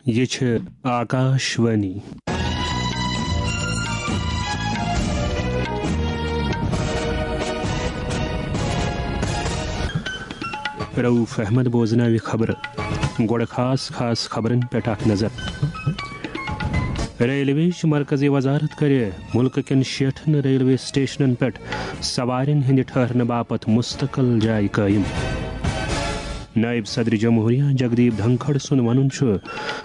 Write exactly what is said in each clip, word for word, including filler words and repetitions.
یہِ چھِ آکاش وانی۔ رؤف احمد بوزناوِ خبرٕ۔ گۄڈٕ خاص خاص خبرن پٮ۪ٹھ اکھ نظر۔ ریلوے چہِ مرکزی وزارت کرِ مُلکہٕ کٮ۪ن شیٹھن ریلوے سٹیشنن پٮ۪ٹھ سوارٮ۪ن ہٕنٛدِ ٹھہرنہٕ باپتھ مستقل جایہِ قٲیِم۔ نائب صدر جمہوریہ جگدیپ دھنکھڑ سُنٛد وَنُن چھُ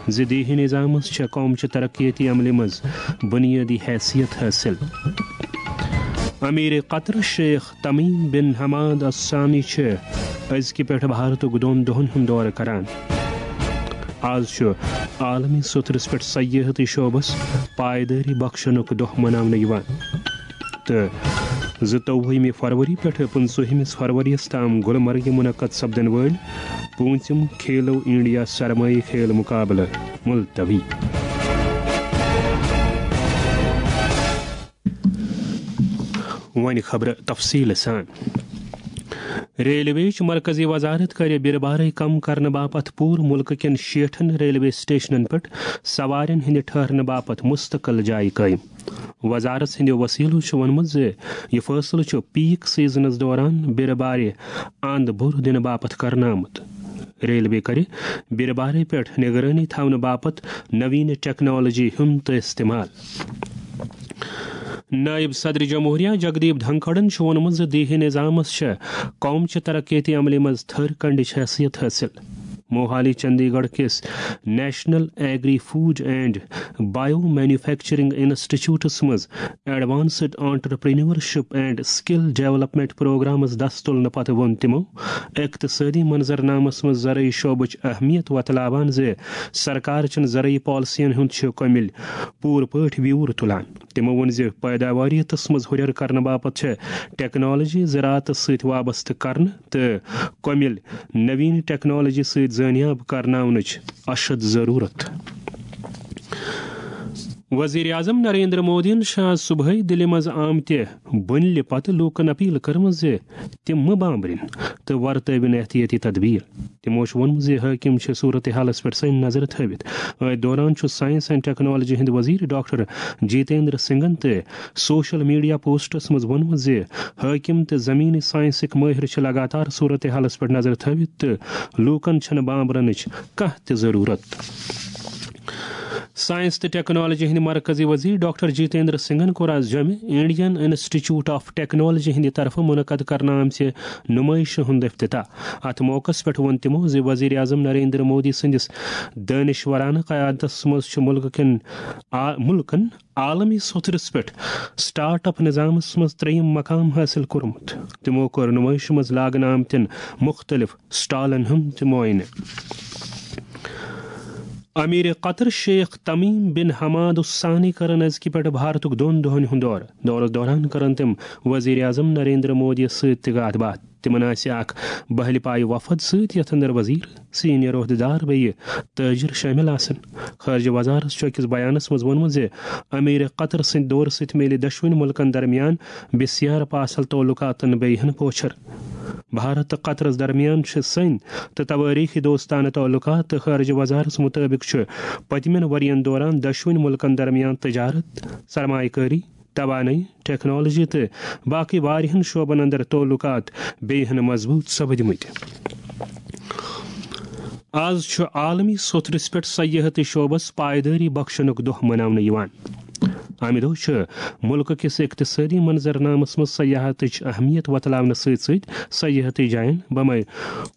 زِ دیہی نظامَس چھےٚ قوم چہِ ترقیتی عملہِ منٛز بُنیٲدی حیثیت حٲصِل۔ امیر قطر شیخ تمیم بن حماد الثانی چھِ أزکہِ پٮ۪ٹھ بھارتُک دۄن دۄہَن ہُنٛد دورٕ کران۔ آز چھُ عالمی سوٚتھرِس پٮ۪ٹھ سیاحتی شعبس پائیدٲری بخشنُک دۄہ مناونہٕ یِوان۔ تہٕ زٕتووُہمہِ فروری پٮ۪ٹھٕ پٕنٛژٕہمِس فروریَس تام گلمرگہِ منعقد سپدن وٲلۍ پوٗنٛژِم کھیلو انڈیا سرمایہِ کھیل مقابلہٕ ملتوی۔ وۄنۍ خبرٕ تفصیٖل سان۔ ریلوے چہِ مرکزی وزارت کَرِ بِرٕ بارے کم کرنہٕ باپتھ پوٗرٕ مُلکہٕ کٮ۪ن شیٹھن ریلوے سٹیشنن پٮ۪ٹھ سوارٮ۪ن ہٕنٛدِ ٹھہرنہٕ باپتھ مستقل جایہِ قٲیِم۔ وزارت سٕنٛدِ وسیلو چھُ ووٚنمُت زِ یہِ فٲصلہٕ چھُ پیک سیزنس دوران بِرٕ بارِ اند بُر دِنہٕ باپتھ کرنہٕ آمُت۔ ریلوے کَرِ بِرٕ بارے پٮ۪ٹھ نگرٲنی تھاونہٕ باپتھ نوین ٹیکنالوجی ہُنٛد تہِ استعمال۔ نائب صدر جمہوریہ جگدیپ دھنکھڑن چھُ ووٚنمُت زِ دیہی نظامس چھےٚ قوم چہِ ترقیتی عملہِ منٛز تھٔر کنڈٕچ حیثیت حٲصِل۔ موہالی چندی گڑھ کِس national agri food and bio manufacturing institutes منٛز advanced entrepreneurship and skill development programmes دس تُلنہٕ پتہٕ ووٚن تِمو اقتصٲدی منظرنامس منٛز زرعی شعبٕچ اہمیت وۄتلاوان زِ سرکار چھُنہٕ زرعی پالیسین ہُنٛد چھُ کٔمِل پوٗرٕ پٲٹھۍ بیوٗر تُلان۔ تِمو ووٚن زِ پٲداواریتس منٛز ہُرٮ۪ر کرنہٕ باپتھ چھِ ٹیکنالوجی زراعتس سۭتۍ وابستہٕ کرنہٕ تہٕ کٔمِل نوین ٹیکنالوجی سۭتۍ زٲنیاب کرناونٕچ اشد ضروٗرت۔ وزیر اعظم نریندر مودیَن چھِ آز صبحٲے دِلہِ منٛز آمتہِ بُنلہِ پتہٕ لوٗکَن اپیل کٔرمٕژ زِ تِم مہٕ بامبرِن تہٕ ورتٲوِن احتیاطی تدبیر۔ تِمو چھُ ووٚنمُت زِ حٲکِم چھِ صورت حالَس پٮ۪ٹھ سٲنۍ نظر تھٲوِتھ۔ أتھۍ دوران چھُ سائنس اینڈ ٹیکنالوجی ہٕنٛدۍ وزیر ڈاکٹر جیتیندر سنگھن تہِ سوشل میڈیا پوسٹس منٛز ووٚنمُت زِ حٲکِم تہٕ زمینی سائنسٕکۍ مٲہِر چھِ لگاتار صورت حالَس پٮ۪ٹھ نظر تھٲوِتھ تہٕ لوٗکَن چھَنہٕ بامبرنٕچ کانٛہہ تہِ ضروٗرت۔ سائنس تہٕ ٹیکنالوجی ہٕنٛدۍ مرکزی وزیر ڈاکٹر جیتیندر سنگھن کوٚر آز جوٚمہِ انڈین انسٹیٹیوٹ آف ٹیکنالوجی ہٕنٛدِ طرفہٕ منعقد کرنہٕ آمژِ نُمٲیشہِ ہُنٛد افتتاح۔ اتھ موقعس پٮ۪ٹھ ووٚن تِمو زِ وزیر اعظم نریندر مودی سٕنٛدِس دٲنِشورانہٕ قیادتس منٛز چھُ مُلکہٕ کٮ۪ن آ-، مُلکن عالمی سوٚتھرِس پٮ۪ٹھ سٹارٹ اپ نظامس منٛز ترٛیٚیِم مقام حٲصِل کوٚرمُت۔ تِمو کوٚر نُمٲیشہِ منٛز لاگنہٕ آمتٮ۪ن مُختٔلِف سٹالن ہُنٛد تہِ معائنہٕ۔ امیر قطر شیخ تمیم بن حماد الثانی کرن أزکہِ پٮ۪ٹھ بھارتُک دۄن دۄہن ہُنٛد دورٕ۔ دورس دوران کرن تِم وزیر اعظم نریندر مودی یس سۭتۍ تہِ کتھ باتھ۔ تِمن آسہِ اکھ بہلہِ پایہِ وفد سۭتۍ، یتھ اندر وزیر، سینئر عہدیدار بیٚیہِ تاجر شٲمِل آسن۔ خارجہ وزارت چھُ أکِس بیانس منٛز ووٚنمُت زِ امیر قطر سٕنٛدِ دورٕ سۭتۍ میلہِ دۄشوٕنی مُلکن درمیان بسیار پاسل تعلقاتن بیٚیہِ ہن پوچھر۔ بھارت تہٕ قطرس درمیان چھِ سٔنۍ تہٕ توٲریٖخی دوستانہٕ تعلقات، تہٕ خارجہ وزارتس مُطٲبِق چھُ پٔتمٮ۪ن ؤرین دوران دۄشوٕنی مُلکن درمیان تجارت، سرمایہ کٲری، توانٲیی، ٹیکنالوجی تہٕ باقٕے واریاہن شعبن اندر تعلقات بیٚیہِ ہن مضبوٗط سپدمٕتۍ۔ آز چھُ عالمی سوٚتھرِس پٮ۪ٹھ سیاحتی شعبس پائیدٲری بخشنُک دۄہ مناونہٕ یِوان۔ امہِ دۄہ چھُ مُلکہٕ کِس اقتصٲدی منظرنامس منٛز سیاحتٕچ اہمیت وۄتلاونہٕ سۭتۍ سۭتۍ سیاحتی جاین بمے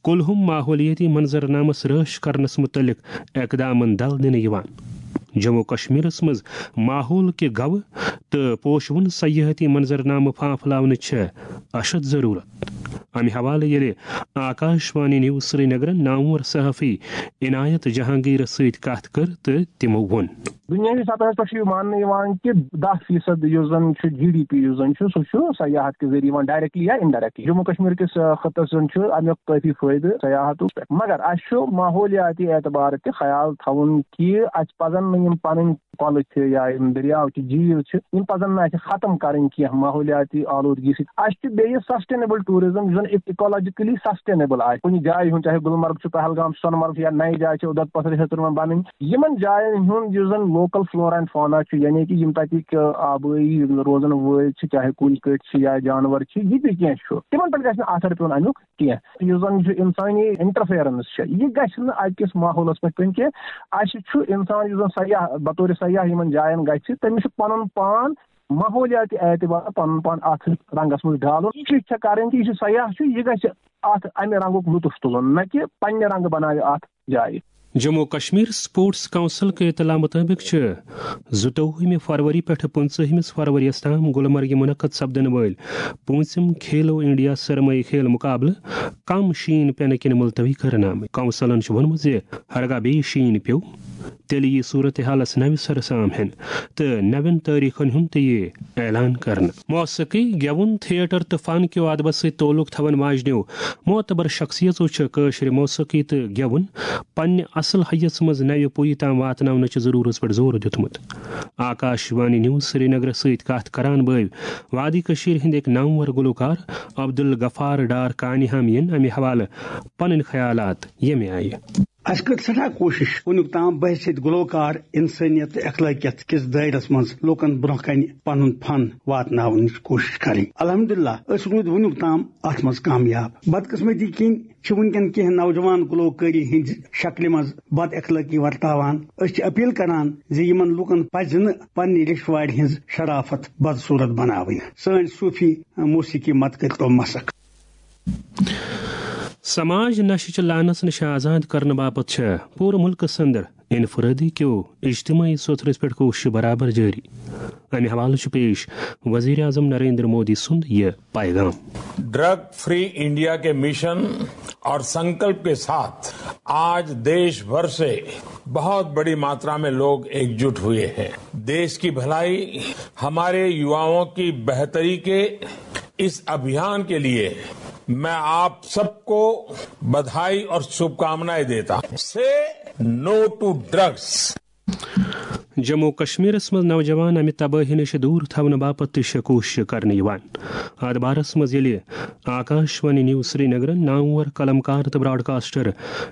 کُلہُم ماحولیٲتی منظرنامس رٲچھ کرنس مُتعلق اقدامن دل دِنہٕ یِوان۔ جموں و کشمیرس منٛز ماحول کہِ گوٕ تہٕ پوشوُن سیاحتی منظرنامہٕ پھانپھلاونٕچ چھےٚ اشد ضروٗرت۔ امہِ حوالہٕ ییٚلہِ آکاش وانی نیوز سرینگرن نامور صحافی عنایت جہانگیرس سۭتۍ کتھ کٔر تہٕ تِمو ووٚن۔ دُنیاہِچ سطحس پٮ۪ٹھ چھُ یہِ ماننہٕ یِوان کہِ دَہ فیٖصد یُس زَن چھُ جی ڈی پی، یُس زَن چھُ، سُہ چھُ سیاحت کہِ ذٔریعہٕ یِوان، ڈائریکٹلی یا انڈائریکٹلی۔ جموں کشمیر کِس، آ، خطس زَن چھُ اَمیُک کٲفی فٲیدٕ سیاحتُک پٮ۪ٹھ، مگر اَسہِ چھُ ماحولیاتی اعتبار تہِ خیال تھاوُن کہِ اَسہِ پَزَن نہٕ یِم پَنٕنۍ کۄلہٕ چھِ یا یِم دٔریاو چھِ، جھیٖل چھِ، یِم پَزَن نہٕ اَسہِ ختم کَرٕنۍ کینٛہہ، ماحولیاتی آلودگی سۭتۍ۔ اَسہِ چھُ بیٚیہِ سسٹینیبل ٹوٗرزم، یُس زَن اِکولوجیکلی سسٹینیبل آسہِ۔ کُنہِ جایہِ ہُنٛد، چاہے گُلمرگ چھُ، پہلگام چھُ، سۄنہٕ مرگ چھُ، یا نَیہِ جایہِ چھِ، اُدھمپوٗر چھِ، ہیٚژٕروَن بَنٕنۍ، یِمَن جایَن ہُنٛد یُس زَن لوکل فلورا اینڈ فونا چھُ، یعنی کہِ یِم تَتِکۍ، آ، آبٲیی روزَن وٲلۍ چھِ، چاہے کُلۍ کٔٹۍ چھِ یا جانوَر چھِ، یہِ تہِ کینٛہہ چھُ، تِمَن پٮ۪ٹھ گژھِ نہٕ اثر پیوٚن اَمیُک کینٛہہ۔ یُس زَن یہِ چھُ اِنسٲنی انٹرفیرنس چھےٚ، یہِ گژھِ نہٕ اَتہِ کِس ماحولَس پٮ۪ٹھ پیوٚن کینٛہہ۔ اَسہِ چھُ اِنسان یُس زَن سیاح، بطور سیاح یِمَن جایَن گژھِ، تٔمِس چھُ پَنُن پان ماحولیاتی اعتبار پَنُن پان اَتھ رنٛگَس منٛز ڈالُن۔ یہِ چھِ چھےٚ کَرٕنۍ کہِ یہِ چھُ سیاح چھُ، یہِ گژھِ اَتھ اَمہِ رنٛگُک لطف تُلُن، نہ کہِ پنٛنہِ رنٛگہٕ بَناوِ اَتھ جایہِ۔ جموں کشمیر سپورٹس کونسل کے اطلاع مطابق چھِ زٕتووُہمہِ فروری پٮ۪ٹھٕ پٕنٛژٕہمِس فروریَس تام گلمرگہِ منعقد سپدن وٲلۍ پوٗنٛژِم کھیلو انڈیا سرمایہ کھیل مقابلہٕ کم شیٖن پینہٕ کِنۍ ملتوی کرنہٕ آمٕتۍ۔ کونسلن چھُ ووٚنمُت زِ ہرگاہ بیٚیہِ شیٖن پیوٚو، تیٚلہِ یِیہِ صورتحالس نوِ سرٕ سام ہٮ۪نہٕ تہٕ نوٮ۪ن تٲریخن ہُنٛد تہِ یِیہِ اعلان کرنہٕ۔ موسیقی، گٮ۪وُن، تھیٹر تہٕ فن کیو ادبس سۭتۍ تعلق تھاون واجنیو معتبر شخصیژو چھِ کٲشرِ موسیقی تہٕ گٮ۪وُن پننہِ اصل حیس منٛز نوِ پُیہِ تام واتناونٕچہِ ضرورژ پٮ۪ٹھ زور دیُتمُت۔ آکاش وانی نیوز سرینگرس سۭتۍ کتھ کران بٲوۍ وادی کٔشیٖرِ ہٕنٛدۍ أکۍ نامور گلوکار عبدالغفار ڈار کانہِ ہم یِن امہِ حوالہٕ پنٕنۍ خیالات ییٚمہِ آیہِ۔ اسہِ کٔر سٮ۪ٹھاہ کوٗشِش وُنیُک تام بحیثیت گلوکار، انسٲنیت تہٕ اخلٲقیت کِس دٲیرس منٛز لوٗکن برٛونٛہہ کنہِ پنُن فن واتناونٕچ کوٗشِش کرٕنۍ۔ الحمدللہ، أسۍ روٗدۍ وُنیُک تام اتھ منٛز کامیاب۔ بدقسمتی کِنۍ چھِ وُنکٮ۪ن کینٛہہ نوجوان گلوکٲری ہٕنٛدِ شکلہِ منٛز بد اخلٲقی ورتاوان۔ أسۍ چھِ اپیل کران زِ یِمن لوٗکن پزِ نہٕ پننہِ ریشوارِ ہٕنٛز شرافت بدصورت بناوٕنۍ۔ سٲنۍ صوٗفی موسیقی مت کٔرۍتو مسخ۔ سماج نشہٕ چہِ لعنس نِش آزاد کرنہٕ باپتھ چھےٚ پوٗرٕ مُلکس اندر انفرادی کیو اجتماعی سوٚتھرس پٮ۪ٹھ کوٗششہٕ برابر جٲری۔ امہِ حوالہٕ چھُ پیش وزیر اعظم نریندر مودی سُنٛد یہِ پیغام۔ ڈرگ فری انڈیا کے مشن اور سنکلپ کے ساتھ آج دیش بھر سے بہت بڑی ماترا میں لوگ ایکجٹ ہوئے ہیں۔ دیش کی بھلائی، ہمارے یواؤں کی بہتری کے اس ابھیان کے لیے میں آپ سب کو بدھائی اور شبھ کامنائیں دیتا ہوں۔ سے نو ٹو ڈرگس۔ جموں کشمیرس منٛز نوجوان امہِ تبٲہی نِش دوٗر تھاونہٕ باپتھ تہِ چھےٚ کوٗشش کرنہٕ یِوان۔ اتھ بارس منٛز ییٚلہِ آکاش وانی نیوز سرینگرن نامور قلمکار تہٕ براڈکاسٹر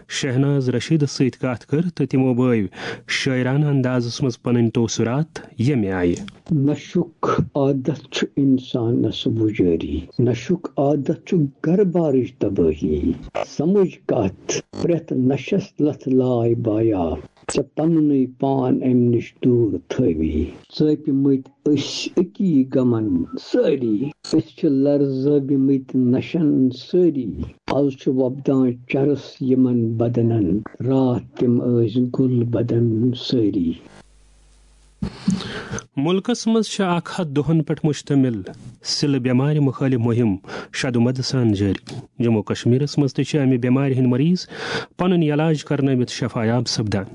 شہناز رشیدس سۭتۍ کتھ کٔر تہٕ تِمو بٲوۍ شٲعرانہٕ اندازس منٛز پنٕنۍ تٲثرات ییٚمہِ آیہِ۔ نشُک عادت چھُ انسانس وُجٲری، نشُک عادت چھُ گرٕ بارٕچ تبٲہی۔ سمجھ کتھ، پرٛٮ۪تھ نشس لتھ لاے بایا، ژےٚ پننُے پان امہِ نِش دوٗر تھٲوی۔ ژٲپۍ مٕتۍ أسۍ أکی غمن سٲری، أسۍ چھِ لرزٲومٕتۍ نشن سٲری۔ از چھُ وۄپدان چرس یِمن بدنن، راتھ تِم ٲسۍ گُل بدن سٲری۔ مُلکس منٛز چھِ اکھ ہتھ دۄہن پٮ۪ٹھ مشتمل سِلہٕ بٮ۪مارِ مُخٲلِف مُہِم شدومد سان جٲری۔ جموں کشمیرس منٛز تہِ چھِ امہِ بٮ۪مارِ ہٕنٛدۍ مریض پنُن علاج کرنٲوِتھ شفایاب سپدان۔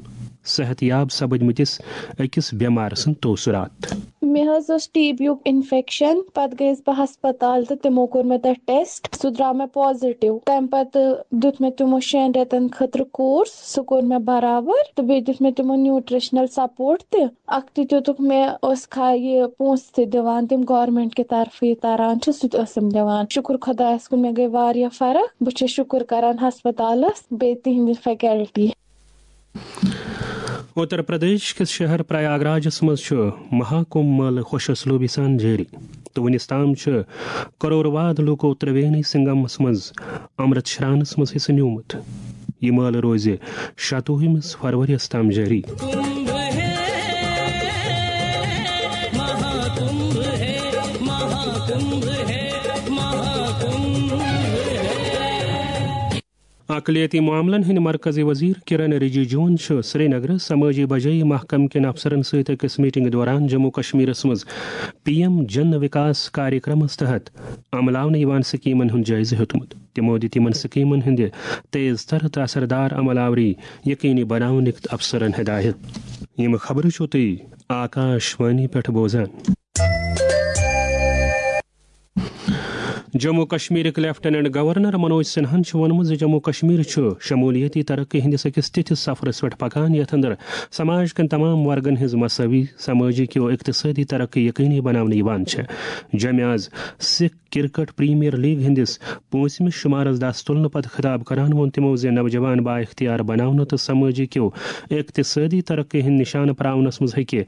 صحت یاب سپدمٕتِس أکِس بٮ۪مار سٕنٛدۍ تٲثرات۔ مےٚ حظ اوس ٹی بی یُک انفیکشن، پتہٕ گٔیَس بہٕ ہسپتال تہٕ تِمو کوٚر مےٚ تتہِ ٹیسٹ، سُہ درٛاو مےٚ پازیٹیو۔ تمہِ پتہٕ دیُت مےٚ تِمو شٮ۪ن رٮ۪تن خٲطرٕ کورس، سُہ کوٚر مےٚ برابر، تہٕ بیٚیہِ دیُت مےٚ تِمو نیوٗٹریشنل سپورٹ تہِ۔ اکھتُے دیُتُکھ مےٚ، ٲس کھا-، یہِ پونٛسہٕ تہِ دِوان، تِم گورمنٹ کہِ طرفہٕ یہِ تران چھُ، سُہ تہِ ٲسٕم دِوان۔ شُکُر خۄدایَس کُن، مےٚ گٔے واریاہ فرق۔ بہٕ چھَس شُکُر کران ہسپتالَس، بیٚیہِ تِہنٛدِ فیکلٹی۔ اُتر پردیش کِس شہر پریاگ راجس منٛز چھُ مہا کُمبھ مٲلہٕ خۄش اسلوبی سان جٲری تہٕ وُنِس تام چھُ کرور واد لوٗکو ترٛوینی سنگمس منٛز امرت شرانس منٛز حصہٕ نیومُت۔ یہِ مٲلہٕ روزِ شتوُہمِس فروریَس تام جٲری۔ اقلیتی معاملن ہٕنٛدۍ مرکزی وزیر کرن رجیجوَن چھُ سرینگرٕ سمٲجی بجٲیی محکمہٕ کٮ۪ن افسرن سۭتۍ أکِس میٹنگہِ دوران جموں کشمیرس منٛز پی ایم جن وکاس کاریکرمس تحت عملاونہٕ یِوان سکیمن ہُنٛد جٲیزٕ ہیوٚتمُت۔ تِمو دِتۍ یِمن سکیمن ہٕنٛدِ تیز تر تہٕ اثردار عمل آوری یقینی بناونٕکۍ افسرن ہدایت۔ یِم خبرٕ چھِو تُہۍ آکاش وانی پٮ۪ٹھ بوزان۔ جموں کشمیرٕکۍ لیفٹیننٹ گورنر منوج سنہاہن چھُ ووٚنمُت زِ جموں کشمیر چھُ شمولیتی ترقی ہٕنٛدِس أکِس تِتھِس سفرس پٮ۪ٹھ پکان، یتھ اندر سماج کٮ۪ن تمام ورگن ہٕنٛز مساوی، سمٲجی کیو اقتصٲدی ترقی یقینی بناونہٕ یِوان چھےٚ۔ جمعہ آز سکھ کرکٹ پریمیئر لیگ ہٕنٛدِس پوٗنٛژمِس شُمارس دس تُلنہٕ پتہٕ خطاب کران ووٚن تِمو زِ نوجوان بااختیار بناونہٕ تہٕ سمٲجی کیو اقتصٲدی ترقی ہٕنٛدۍ نشانہٕ پراونس منٛز ہیٚکہِ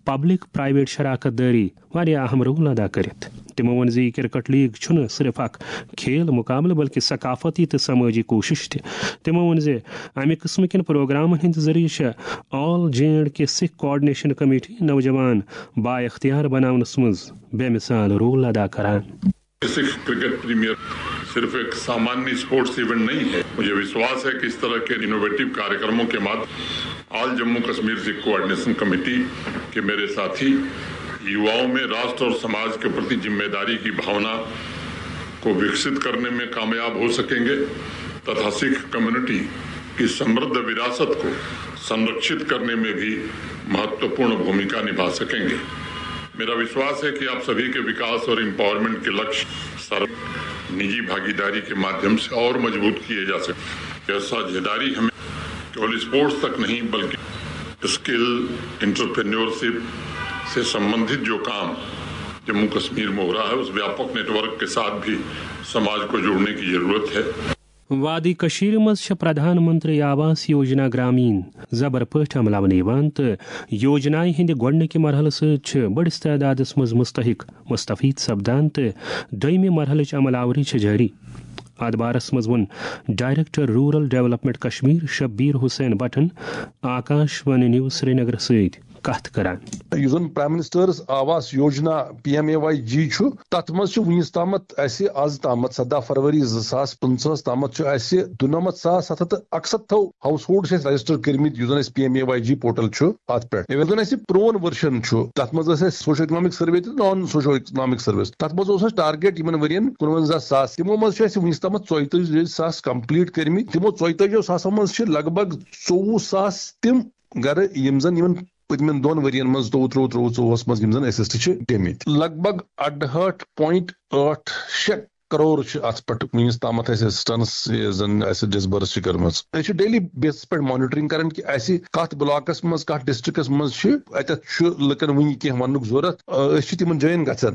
پبلک پرائیویٹ شراکت دٲری واریاہ اہم رول ادا کٔرِتھ۔ تِمو ووٚن زِ یہِ کرکٹ لیگ چھُنہٕ صرف اکھ کھیل مقابلہٕ، بلکہِ ثقافتی تہٕ سمٲجی کوٗشش تہِ۔ تِمو ووٚن زِ امہِ قٕسمہٕ کٮ۪ن پروگرامن ہٕنٛدِ ذٔریعہٕ چھےٚ all J and K Sikh coordination committee نوجوان بااختیار بناونس منٛز بے مثال رول ادا کران۔ سکھ کرکٹ پریمیئر صرف ایک سامانیہ اسپورٹس ایونٹ نہیں ہے۔ مجھے وشواس ہے کہ اس طرح کے انوویٹو کاریہ کرموں کے مادھیم سے آل جموں کشمیر سکھ کوآرڈینیشن کمیٹی کے میرے ساتھی یواؤں میں راشٹر اور سماج کے پرتی ذمہ داری کی بھاونا کو وکست کرنے میں کامیاب ہو سکیں گے تتھا سکھ کمیونٹی کی سمردھ وراثت کو سنرکشت کرنے میں بھی مہتوپورن بھومکا نبھا سکیں گے۔ میرا وشواس ہے کہ آپ سبھی کے وکاس اور ایمپاورمنٹ کے لکش سر نجی بھاگیداری کے مادھیم سے اور مضبوط کیے جا سکتے ہیں۔ یہ ساجھیداری ہمیں کیول اسپورٹس تک نہیں بلکہ اسکل انٹرپرینیورشپ سے سمبندھت جو کام جموں کشمیر میں ہو رہا ہے اس ویاپک نیٹ ورک کے ساتھ بھی سماج کو جوڑنے کی ضرورت ہے۔ وادی کٔشیٖرِ منٛز چھِ پرٛدھان منتری آواس یوجنا گرٛامیٖن زبر پٲٹھۍ عملاونہٕ یِوان تہٕ یوجنایہِ ہٕنٛدِ گۄڈٕنِکہِ مرحلہٕ سۭتۍ چھِ بٔڑِس تعدادَس منٛز مُستحق مستفید سپدان تہٕ دوٚیمہِ مرحلٕچ عمل آوری چھِ جٲری۔ اَتھ بارَس منٛز ووٚن director rural development Kashmir Shabir Hussain بٹن آکاش وانی نیوز سرینگرَس سۭتۍ کتھ کران۔ یُس زن prime minister's Awas Yojana, P M A Y G چھُ، تتھ منٛز چھُ وُنیُس تامتھ اسہِ، از تامتھ، سداہ فروری زٕ ساس پٕنٛژٕہس تامتھ چھُ اسہِ دُنمتھ ساس ستھ ہتھ تہٕ اکستتھو ہاؤس ہولڈ چھِ اسہِ رجسٹر کٔرمٕتۍ، یُس زن اسہِ P M A Y G portal چھُ اتھ پٮ۪ٹھ۔ ییٚلہِ زن اسہِ پرون ورجن چھُ، تتھ منٛز ٲسۍ اسہِ سوشو اکنامک سروے تہٕ نان سوشو اکنامک سروے۔ تتھ منٛز اوس اسہِ ٹارگیٹ یِمن ؤرین کُنونزہ ساس، تِمو منٛز چھُ اسہِ وُنیُس تامتھ ژۄیتٲجی ساس کمپلیٹ کٔرمٕتۍ۔ تِمو ژۄیتٲجیو ساسو منٛز چھِ لگ بگ ژوٚوُہ ساس تِم گرٕ، یِم زن یِمن پٔتمٮ۪ن دۄن ؤرین منٛز، زٕتووُہ ترٛووُہ، ژوٚوُہس منٛز یِم زن اسسٹ چھِ گٔمٕتۍ۔ لگ بگ اَڑہٲٹھ point ٲٹھ شےٚ کرور چھِ اتھ پٮ۪ٹھ وُنیُس تامتھ اسہِ اسسٹنس، یہِ زن اسہِ ڈسبرس چھِ کٔرمٕژ۔ أسۍ چھِ ڈیلی بیسس پٮ۪ٹھ مانیٹرنگ کران کہِ اسہِ کتھ بلاکس منٛز، کتھ ڈسٹرکٹس منٛز چھِ، اتٮ۪تھ چھُ لُکن وُنہِ کینٛہہ وننُک ضروٗرت۔ أسۍ چھِ تِمن جاین گژھان۔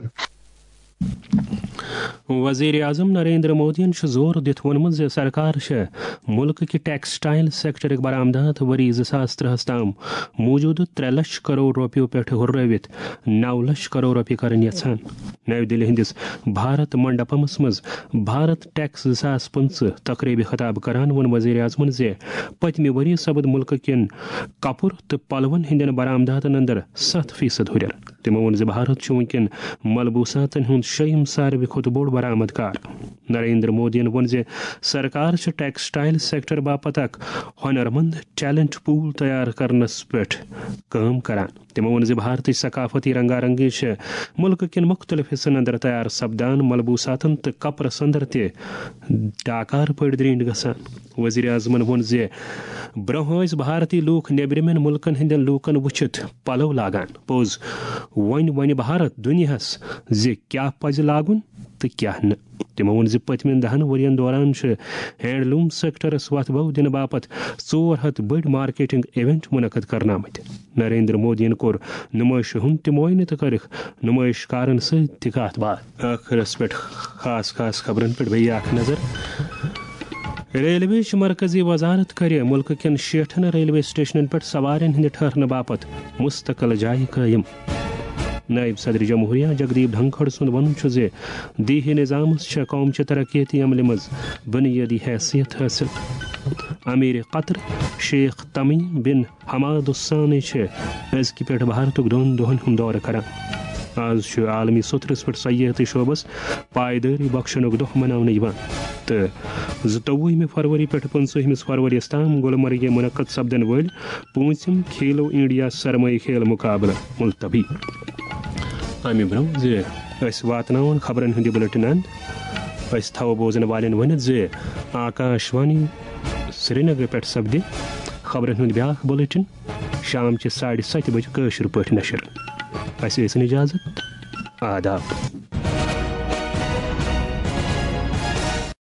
وزیر اعظم نریندر مودیَن چھُ زور دِتھ ووٚنمُت زِ سرکار چھےٚ مُلکہٕ کہِ ٹیکسٹائل سیکٹرٕکۍ برآمدات ؤری زٕ ساس ترٛہَس تام موٗجوٗدٕ ترٛےٚ لچھ کرور رۄپیَو پٮ۪ٹھ ہُررٲوِتھ نَو لچھ کرور رۄپیہِ کرٕنۍ یژھان۔ نَوِ دِلہِ ہٕنٛدِس بھارت منڈپمس منٛز بھارت ٹیکس زٕ ساس پٕنٛژٕہ تقریبہِ خطاب کران ووٚن وزیر اعظمَن زِ پٔتمہِ ؤری سپُد مُلکہٕ کٮ۪ن کپُر تہٕ پلون ہٕنٛدٮ۪ن برآمداتن اندر ستھ فیصد ہُرٮ۪ر۔ تِمو ووٚن زِ بھارت چھُ وُنکٮ۪ن ملبوساتن ہُنٛد شیٚیِم ساروی کھۄتہٕ بوٚڑ برآمد کار۔ نریندر مودیَن ووٚن زِ سرکار چھِ ٹیکسٹائل سیکٹر باپتھ اکھ ہنرمند ٹیلنٹ پول تیار کرنس پٮ۪ٹھ کٲم کران۔ تِمو ووٚن زِ بھارتٕچ ثقافتی رنگا رنگی چھِ مُلکہٕ کٮ۪ن مُختٔلِف حصن اندر تیار سپدان، ملبوساتن تہٕ کپرس اندر تہِ ڈاکار پٲٹھۍ درینڈ گژھان۔ وزیر اعظمن ووٚن زِ برونٛہہ ٲسۍ بھارتی لوٗکھ نیبرِمٮ۪ن مُلکن ہٕنٛدٮ۪ن لوٗکن وٕچھِتھ پلو لاگان۔ پوٚز، وۄنۍ ونہِ بھارت دُنیاہس زِ کیٛاہ پزِ لاگُن تہٕ کیٛاہ نہٕ۔ تِمو ووٚن زِ پٔتمٮ۪ن دَہَن ؤرین دوران چھِ ہینڈلوم سیکٹرس وتھ بو دِنہٕ باپتھ ژور ہتھ بٔڑۍ مارکیٹنگ ایونٹ منعقد کرنامٕتۍ۔ نریندر مودیَن کوٚر نُمٲیشہِ ہُنٛد تہِ معائنہٕ تہٕ کٔرٕکھ نُمٲیش کارن سۭتۍ تہِ کتھ باتھ۔ ٲخرس پٮ۪ٹھ خاص خاص خبرن پٮ۪ٹھ بیٚیہِ اکھ نظر۔ ریلوے چہِ مرکزی وزارت کرِ مُلکہٕ کٮ۪ن شیٹھن ریلوے سٹیشنن پٮ۪ٹھ سوارٮ۪ن ہٕنٛدِ ٹھہرنہٕ باپتھ مستقل جایہِ قٲیِم۔ نائب صدر جمہوریہ جگدیپ دھنکھڑ سُنٛد وَنُن چھُ زِ دیہی نظامس چھےٚ قوم چہِ ترقیتی عملہِ منٛز بُنیٲدی حیثیت حٲصِل۔ امیر قطر شیخ تمیم بن حماد الثانی چھِ أزکہِ پٮ۪ٹھ بھارتُک دۄن دۄہن ہُنٛد دورٕ کران۔ آز چھُ عالمی سوٚتھرِس پٮ۪ٹھ سیاحتی شعبس پائیدٲری بخشنُک دۄہ مناونہٕ یِوان تہٕ زٕتووُہمہِ فروری پٮ۪ٹھ پٕنٛژٕہمِس فروریَس تام گلمرگہِ منعقد سپدن وٲلۍ پوٗنٛژِم کھیلو انڈیا سرمایہ کھیل مقابلہٕ ملتوی۔ امہِ برونٛہہ زِ أسۍ واتناوون خبرن ہُنٛد یہِ بُلٹن اند، أسۍ تھاوو بوزن والٮ۪ن ؤنِتھ زِ آکاش وانی سرینگرٕ پٮ۪ٹھ سپدِ خبرن ہُنٛد بیاکھ بُلٹن۔ شام چہِ ساڑِ ستہِ بجہِ کٲشِر پٲٹھۍ نشر۔ اسہِ ٲسِن اجازت۔ آداب۔